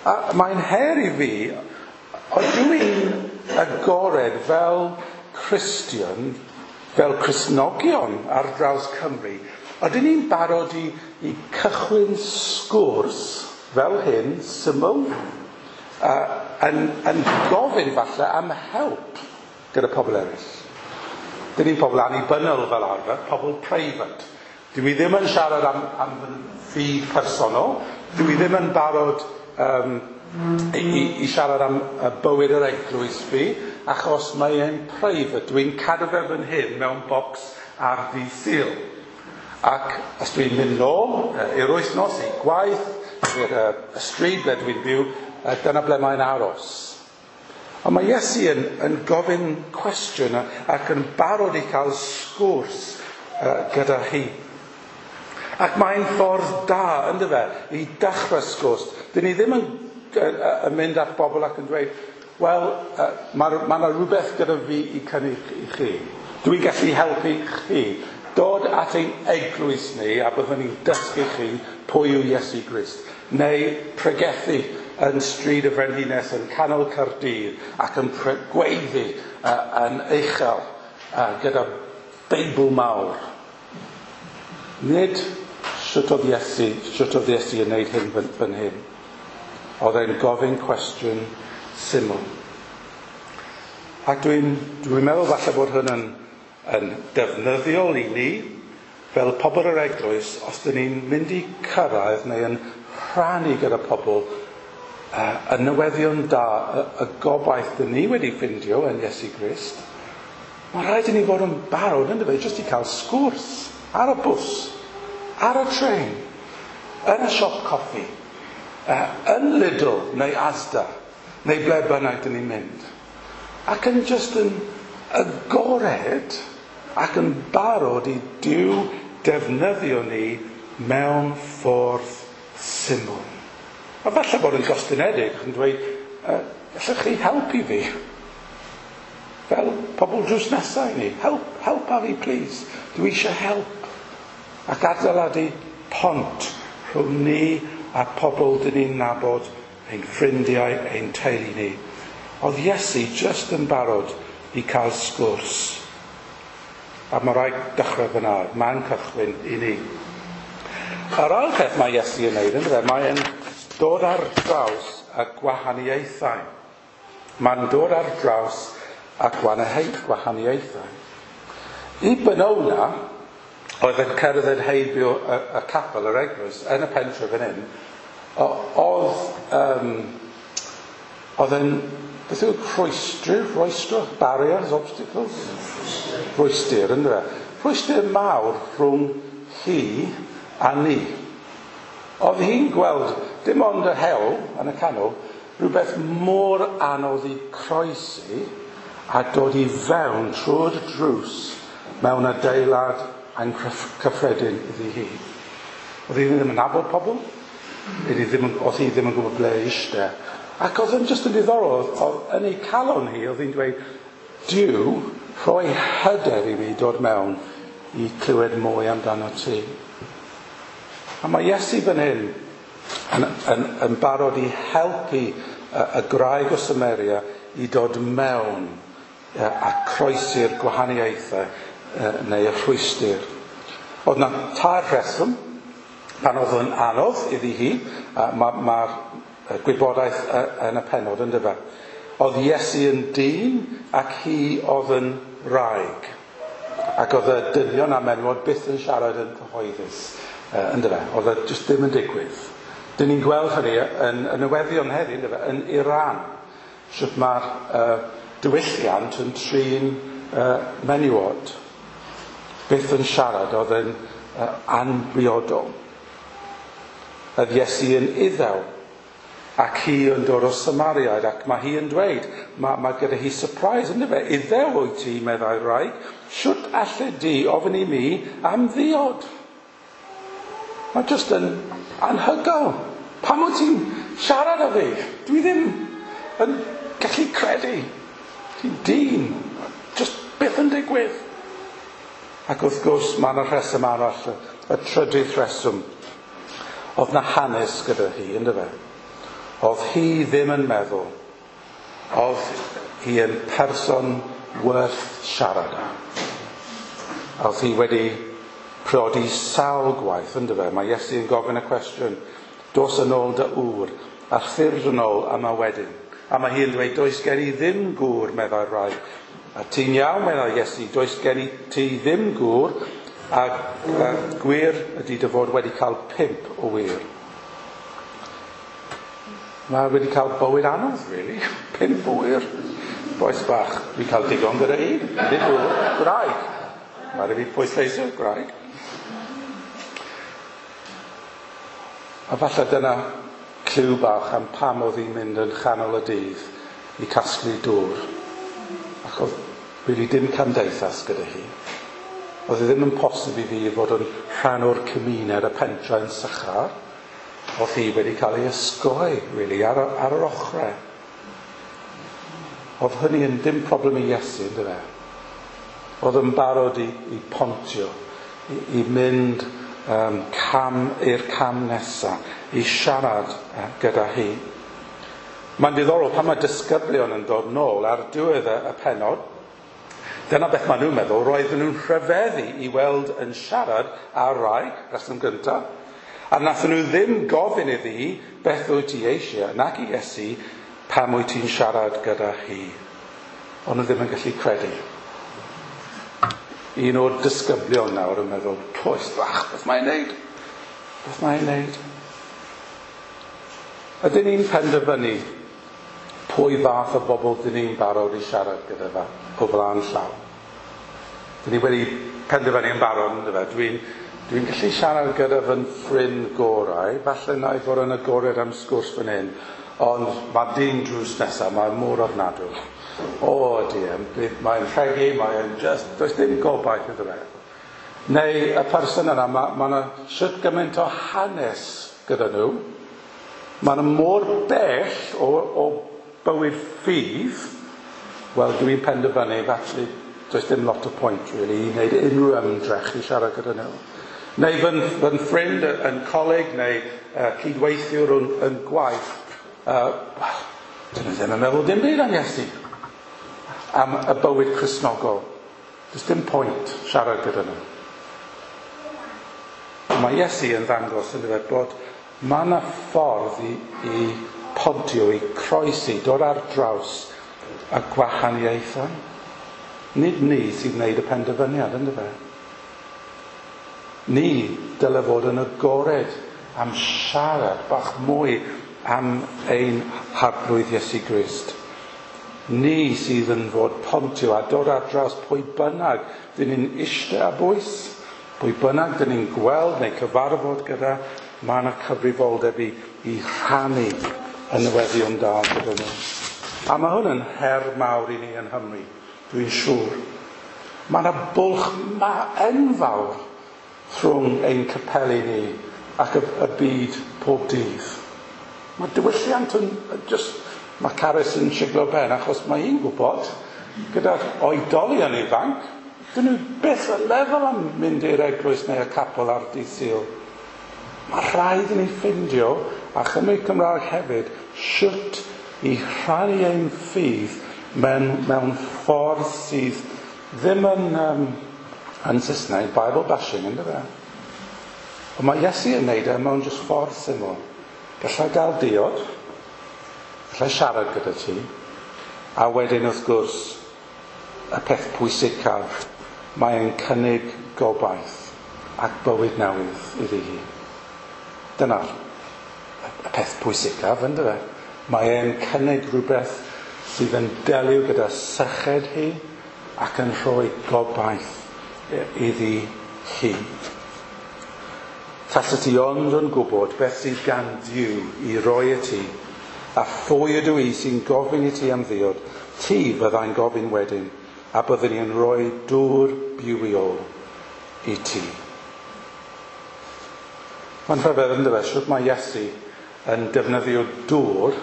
A mae'n her i fi, ydw i'n agored fel Cristion, fel Cristnogion ar draws Cymru, ydyn ni'n barod i cychwyn sgwrs fel hyn, syml, yn gofyn falle am help gyda pobl eraill. Dyn ni'n pobl annibynnol fel arfer, pobl preifat. Dwi ddim yn siarad am fy ffydd personol. Dwi ddim yn barod i siarad am bywyd yr eglwys fi, achos mae e'n private. Dwi'n cadw fe fan hyn mewn bocs ar ddydd Sul. Ac os dwi'n mynd nôl i'r wythnos, i gwaith, i'r stryd ble dwi'n byw, dyna ble mae'n aros. Ond mae Iesu yn gofyn cwestiwn ac yn barod i cael sgwrs gyda hi. Ac mae'n ffordd da, ynddo fe, i dechrau sgwrs. Dyn ni ddim yn mynd at bobl ac yn dweud, wel, mae yna rhywbeth gyda fi i cynnig i chi. Dwi'n gallu helpu chi. Dod at ein eglwys ni a byddwn ni'n dysgu chi pwy yw Iesu Grist. Neu pregethu yn stryd y Frenhines yn canol Caerdydd ac yn gweiddi yn uchel gyda Beibl mawr. Nid sut oedd Iesu yn gwneud hyn fan hyn. Oedd e'n gofyn cwestiwn syml. Ac dwi'n meddwl falle bod hwn yn defnyddiol i ni fel pobl yr eglwys, os dyn ni'n mynd i cyrraedd neu yn rhannu gyda pobl y newyddion da, y gobaith dyn ni wedi ffindio yn Iesu Grist, mae rhaid i ni fod yn barod, ynddo fe, jyst i cael sgwrs ar y bws, ar y trên, yn y siop coffi, yn Lidl neu Asda, neu ble bynnag dyn ni'n mynd. Ac yn jyst yn agored ac yn barod i Duw defnyddio ni mewn ffordd syml. A falle bod yn gostynedig yn dweud, gallwch chi helpu fi? Fel pobl drws nesaf i ni. Help a fi, please. Dwi eisiau help. Ac adeiladu pont rhwng ni a pobl dyn ni'n nabod, ein ffrindiau, ein teulu ni. Oedd Iesu jyst yn barod i cael sgwrs. A mae rhaid dechrau fyna, man cychwyn i ni. A'r ail peth mae Iesu yn neud, ynddo fe, mae'n dod ar draws y gwahaniaethau. Mae'n dod ar draws y gwahaniaethau. I Benona, oedd yn cerdded heibio y capel, yr eglwys, yn y pentre fan hyn, oedd yn, beth yw rhwystr, barriers, obstacles? Rhwystr, ynddo fe? Rhwystr mawr rhwng hi a ni. Oedd hi'n gweld dim ond y hewl yn y canol, rhywbeth mor anodd i croesi a dod i fewn trwy'r drws mewn adeilad anghyffredin iddi hi. Oedd hi ddim yn nabod pobl, oedd hi ddim yn gwybod ble eistedd. Ac oedd yn jyst yn ddiddorol, oedd yn ei calon hi, oedd hi'n dweud, Duw, rhoi hyder i mi dod mewn i clywed mwy amdano ti. A mae Iesu fan hyn yn barod i helpu y graig o Samaria i dod mewn a croesi'r gwahaniaethau neu y rhwystr. Oedd na tair rheswm pan oedd yn anodd iddi hi, mae'r gwybodaeth yn y pennod, ynddo fe. Oedd Iesu yn dyn ac hi oedd yn wraig. Ac oedd y dynion a menywod byth yn siarad yn cyhoeddus, ynddo fe. Oedd e jyst ddim yn digwydd. Dyn ni'n gweld hynny yn y newyddion heddiw, ynddo fe, yn Iran. Sut mae'r diwylliant yn trin menywod. Byth yn siarad oedd yn anbriodol. Oedd Iesu yn Iddew ac hi yn dod o Samariaid, ac mae hi yn dweud, mae gyda hi surprise, ynddo fe? Iddew wyt ti, meddai'r wraig, shwt alle di ofyn i mi am ddiod? Mae jyst yn anhygoel. Pam wyt ti'n siarad â fi? Dwi ddim yn gallu credu. Ti'n dyn. Jyst byth yn digwydd. Ac wrth gwrs, mae yna rheswm arall, y trydydd rheswm. Oedd na hanes gyda hi, ynddo fe? Oedd hi ddim yn meddwl. Oedd hi yn person werth siarad â. Oedd hi wedi priodi sawl gwaith, ynddo fe? Mae Iesu yn gofyn y cwestiwn, dos yn ôl dy ŵr, a thyrd yn ôl yma wedyn. A mae hi yn dweud, does gen i ddim gŵr, meddai'r wraig. A ti'n iawn, meddai Iesu, does gen i ti ddim gŵr, a gwir ydy dy fod wedi cael 5 o wŷr. Mae wedi cael bywyd anodd, really. 5 o wŷr. Bois bach, dwi'n cael digon gyda un. Nid gŵr, gwraig. Mae rhaid fi pwysleisio gwraig. A falle dyna clyw bach am pam oedd hi'n mynd yn chanol y dydd i casglu dŵr. Ac oedd really dim cymdeithas gyda hi. Oedd e ddim yn posib i fi fod yn rhan o'r cymuned y pentre yn Sychar. Oedd hi wedi cael ei ysgoi, really, ar yr ochrau. Oedd hynny yn dim problem i Iesu, ynddo fe? Oedd yn barod i pontio, i mynd cam i'r cam nesaf, i siarad gyda hi. Mae'n diddorol pan mae disgyblion yn dod nôl ar diwedd y pennod, dyna beth maen nhw'n meddwl, roedden nhw'n rhyfeddu i weld yn siarad ar rai, reswm gyntaf, a nathon nhw ddim gofyn iddi beth wyt ti eisiau, nac i Iesu, pam wyt ti'n siarad gyda hi. Ond nhw ddim yn gallu credu. Un o'r disgyblion nawr yn meddwl, poes bach, beth mae'n neud? Beth mae'n neud? Ydyn ni'n penderfynu pwy fath o bobl dyn ni'n barod i siarad gyda fe o flaen llaw? Dyn ni wedi penderfynu yn barod, ynddo fe? Dwi'n gallu siarad gyda fy ffrind gorau, falle na i fod yn agored am sgwrs fan hyn, ond mae dyn drws nesaf, mae'n mor ofnadw. O dear, mae'n rhegi, mae'n just, does dim gobaith iddo fe. Neu y person yna, mae yna shwt gymaint o hanes gyda nhw, mae yna mor bell o bywyd ffydd, wel dwi'n penderfynu, felly does dim lot o point really i wneud unrhyw ymdrech i siarad gyda nhw. Neu fy ffrind yn coleg neu cydweithiwr yn gwaith, wel, dyn nhw ddim yn meddwl dim byd am Iesu, am y bywyd Cristnogol. Does dim pwynt siarad gyda nhw. Mae Iesu yn ddangos yn dweud bod mae yna ffordd i pontio, i croesi, dod ar draws y gwahaniaethau. Nid ni sy'n gwneud y penderfyniad, ynddo fe? Ni dyle fod yn agored am siarad bach mwy am ein Harglwydd Iesu Grist. Ni sydd yn fod pontio a dod ar draws pwy bynnag dyn ni'n eistedd ar bwys, pwy bynnag dyn ni'n gweld neu cyfarfod gyda, mae yna cyfrifoldeb i rhannu y newyddion da gyda nhw. A mae hwn yn her mawr i ni yn Nghymru, dwi'n siŵr. Mae yna bwlch enfawr rhwng ein capeli ni ac y byd pob dydd. Mae diwylliant yn just, mae Carys yn siglo ben achos mae hi'n gwybod gyda'r oedolion ifanc, dyn nhw byth yn meddwl am mynd i'r eglwys neu y capel ar dydd Sul. Mae rhaid i ni ffindio, a Chymru Cymraeg hefyd, shwt i rhannu ein ffydd mewn ffordd sydd ddim yn Saesneg, Bible bashing, ynddo fe? Ond mae Iesu yn neud e mewn jyst ffordd syml. Gallai gael diod, gallai siarad gyda ti, a wedyn wrth gwrs, y peth pwysicaf, mae'n cynnig gobaith ac bywyd newydd iddi hi. Dyna'r y peth pwysicaf, ynddo fe? Mae e'n cynnig rhywbeth sydd yn delio gyda syched hi ac yn rhoi gobaith iddi hi. Tasa ti ond yn gwybod beth sydd gan Duw i roi i ti, a phwy ydw i sy'n gofyn i ti am ddiod, ti fyddai'n gofyn wedyn, a byddwn i'n rhoi dŵr bywiol i ti. Mae'n rhyfedd yn dyfe, shwt mae Iesu yn defnyddio dŵr,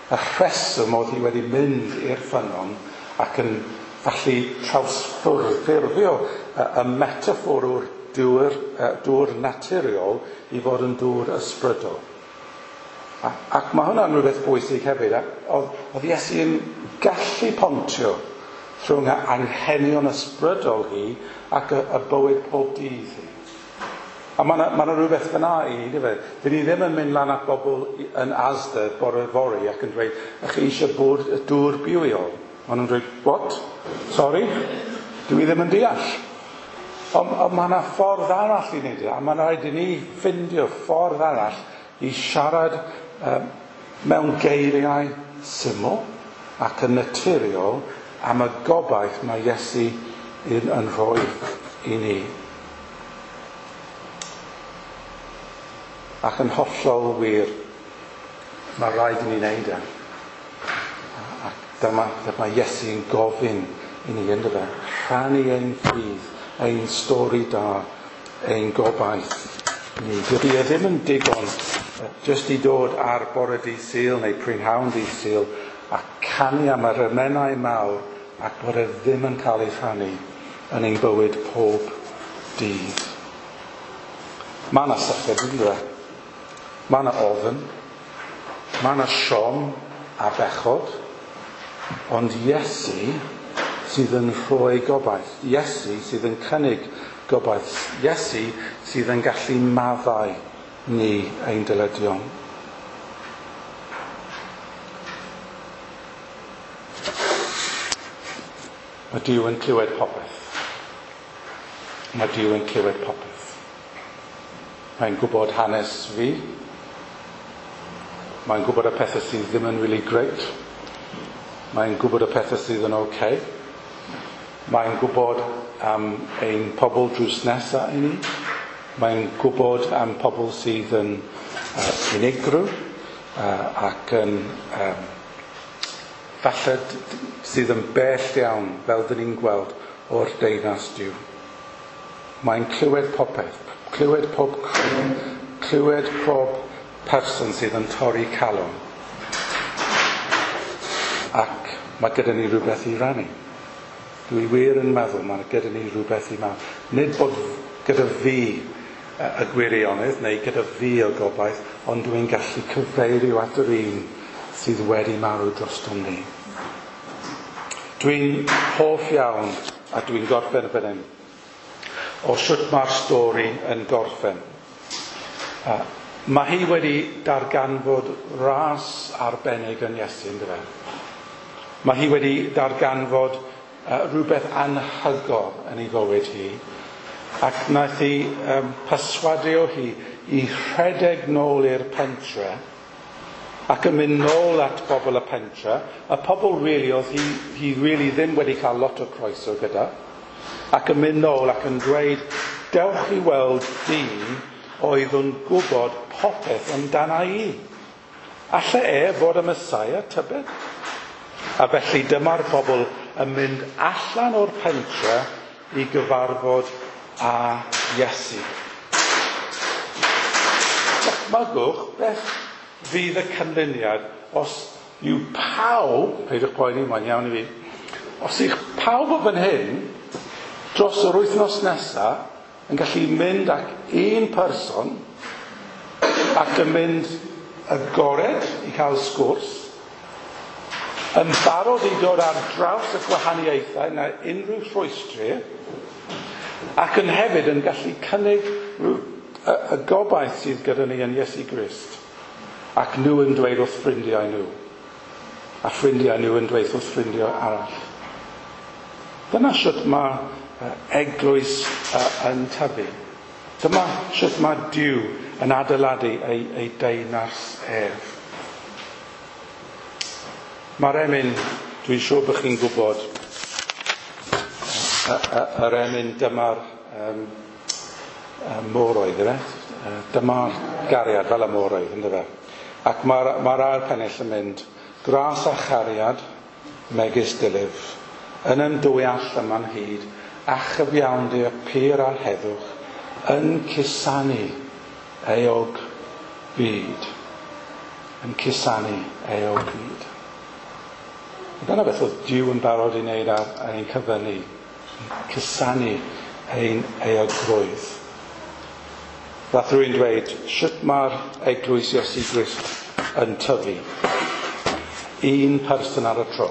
y rheswm oedd hi wedi mynd i'r ffynnon ac yn falle trawsffurfio y metaffôr o'r dŵr naturiol i fod yn dŵr ysbrydol. Ac mae hwnna'n rhywbeth bwysig hefyd. Oedd Iesu yn gallu pontio rhwng y anghenion ysbrydol hi ac y bywyd pob dydd hi. A mae yna rhywbeth fyna i ni, dyfe? Dyn ni ddim yn mynd lan at bobl yn Asda bore fory ac yn dweud, ych chi eisiau bod y dŵr bywiol? Maen nhw'n dweud, what? Sorry? Dwi ddim yn deall. Ond mae yna ffordd arall i wneud e, a mae'n rhaid i ni ffindio ffordd arall i siarad mewn geiriau syml ac yn naturiol am y gobaith mae Iesu yn rhoi i ni. Ac yn hollol wir, mae rhaid i ni wneud e. Ac dyma Iesu'n gofyn i ni, yndyfe, rhannu ein ffydd, ein stori da, ein gobaith ni. Dydy e ddim yn digon jyst i dod ar bore dydd Sul neu prynhawn dydd Sul a canu am yr emynau mawr ac bod e ddim yn cael ei rhannu yn ein bywyd pob dydd. Mae yna syched, yndyfe? Mae yna ofn, mae yna siom a bechod, ond Iesu sydd yn rhoi gobaith. Iesu sydd yn cynnig gobaith. Iesu sydd yn gallu maddau ni ein dyledion. Mae Duw yn clywed popeth. Mae Duw yn clywed popeth. Mae'n gwybod hanes fi. Mae'n gwybod y pethau sydd ddim yn really great. Mae'n gwybod y pethau sydd yn okay. Mae'n gwybod am ein pobl drws nesaf i ni. Mae'n gwybod am pobl sydd yn unigryw ac yn falle sydd yn bell iawn, fel dyn ni'n gweld, o'r deyrnas Duw. Mae'n clywed popeth, clywed pob cri, clywed pob person sydd yn torri calon. Ac mae gyda ni rhywbeth i rannu. Dwi wir yn meddwl mae gyda ni rhywbeth i rannu. Nid bod gyda fi y gwirionedd neu gyda fi y gobaith, ond dwi'n gallu cyfeirio at yr un sydd wedi marw drostom ni. Dwi'n hoff iawn, a dwi'n gorffen fan hyn, o sut mae'r stori yn gorffen. Mae hi wedi darganfod ras arbennig yn Iesu, yndyfe? Mae hi wedi darganfod rhywbeth anhygoel yn ei fywyd hi, ac wnaeth hi perswadio hi i rhedeg nôl i'r pentre ac yn mynd nôl at bobl y pentre, y pobl really oedd hi really ddim wedi cael lot o croeso gyda, ac yn mynd nôl ac yn dweud, dewch i weld dyn oedd yn gwybod popeth amdana i. Alle e fod y Messiah, tybed? A felly dyma'r pobl yn mynd allan o'r pentre i gyfarfod â Iesu. Dychmygwch beth fydd y canlyniad os yw pawb, peidiwch poeni, mae'n iawn i fi, os yw pawb o fan hyn dros yr wythnos nesaf yn gallu mynd ac un person ac yn mynd agored i cael sgwrs, yn barod i dod ar draws y gwahaniaethau na unrhyw rhwystrau, ac yn hefyd yn gallu cynnig y gobaith sydd gyda ni yn Iesu Grist. Ac nhw yn dweud wrth ffrindiau nhw. A ffrindiau nhw yn dweud wrth ffrindiau arall. Dyna sut mae eglwys yn tyfu. Dyma sut mae Duw yn adeiladu ei deyrnas ef. Mae'r emyn, dwi'n siŵr bod chi'n gwybod, yr emyn dyma'r môr oedd, yfe? Dyma'r gariad fel y môr oedd, ynddo fe? Ac mae'r ail pennill yn mynd, gras a chariad, megis dylif, yn ymdwyall yma'n hyd, a chyfiawnder pur a'r heddwch, yn cusanu euog byd. Yn cusanu euog byd. Dyna beth oedd Duw yn barod i wneud ar ein cyfer ni. Cusanu ein euogrwydd. Fath rwy'n dweud, sut mae'r eglwys Iesu Grist yn tyfu? Un person ar y tro.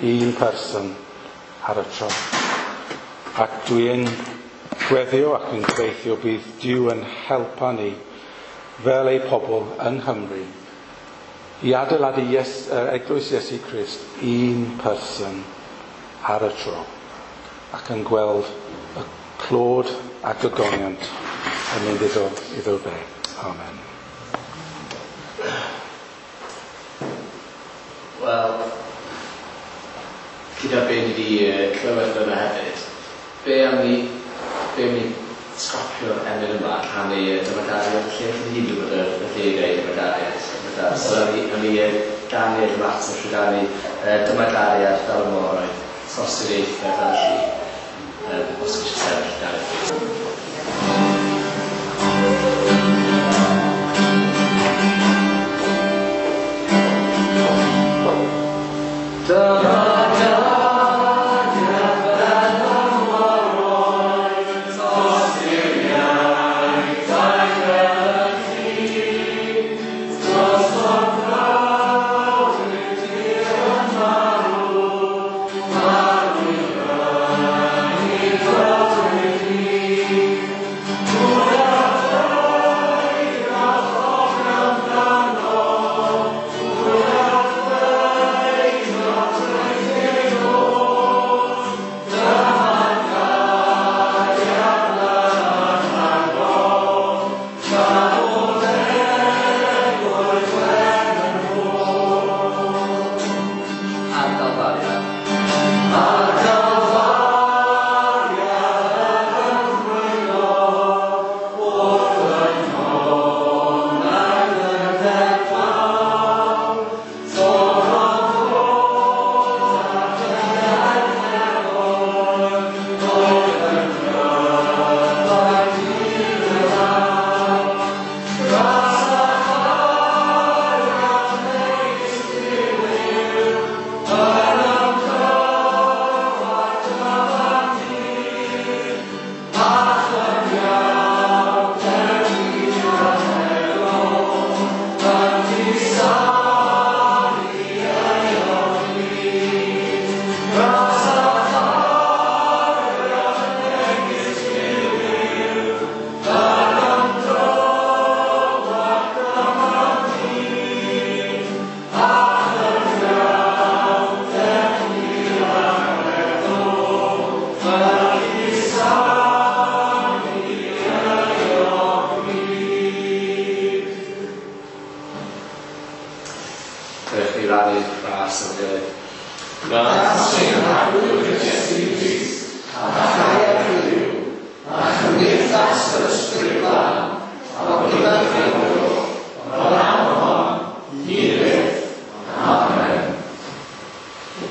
Un person ar y tro. Ac dwi'n gweddio ac yn gobeithio bydd Duw yn helpa ni fel ei pobl yng Nghymru i adeiladu eglwys Iesu Grist un person ar y tro ac yn gweld y clod ac ogoniant yn mynd iddo fe. Amen. Wel, gyda be ni wedi clywed fyna hefyd, be am ni stopio'r emyn yma a canu dyma gariad y lle? Ni gyd yn gwybod y geiriau dyma gariad. So am ni ganu'r ymateb trwy ganu dyma gariad fel y môr oedd, tosturiaethau fel y lli. Os chi eisiau sefyll, Gareth. Dyma gariad fel y môr oedd, tosturiaethau fel y lli, drosodd brawd tir yn marw, marw i brynu dod wedi. Pwy a ddeuaf ofn amdano, pwy a ddeuaf drwy ôl, dyma gariad anhagol, tra bod egwyl wen yn ôl. Ar Galfaria. Ar Galfaria yn ymrwyno, wrth y tonnau dyfed fawr, torrodd fod ar dyfed nefoedd, oedd yn gryfau diwedd. Gras a chariad megis diliw, yn ymdroi dyma dir, a chyfiawnder hir a heddwch, yn cusanu euog byd. Gras a chariad megis diliw, yn ymdroi dyma dir, a chyfiawnder hir a heddwch, yn cusanu euog byd. Dewch ni rannu gras yn gilydd. Gras ein Harglwydd Iesu Grist, a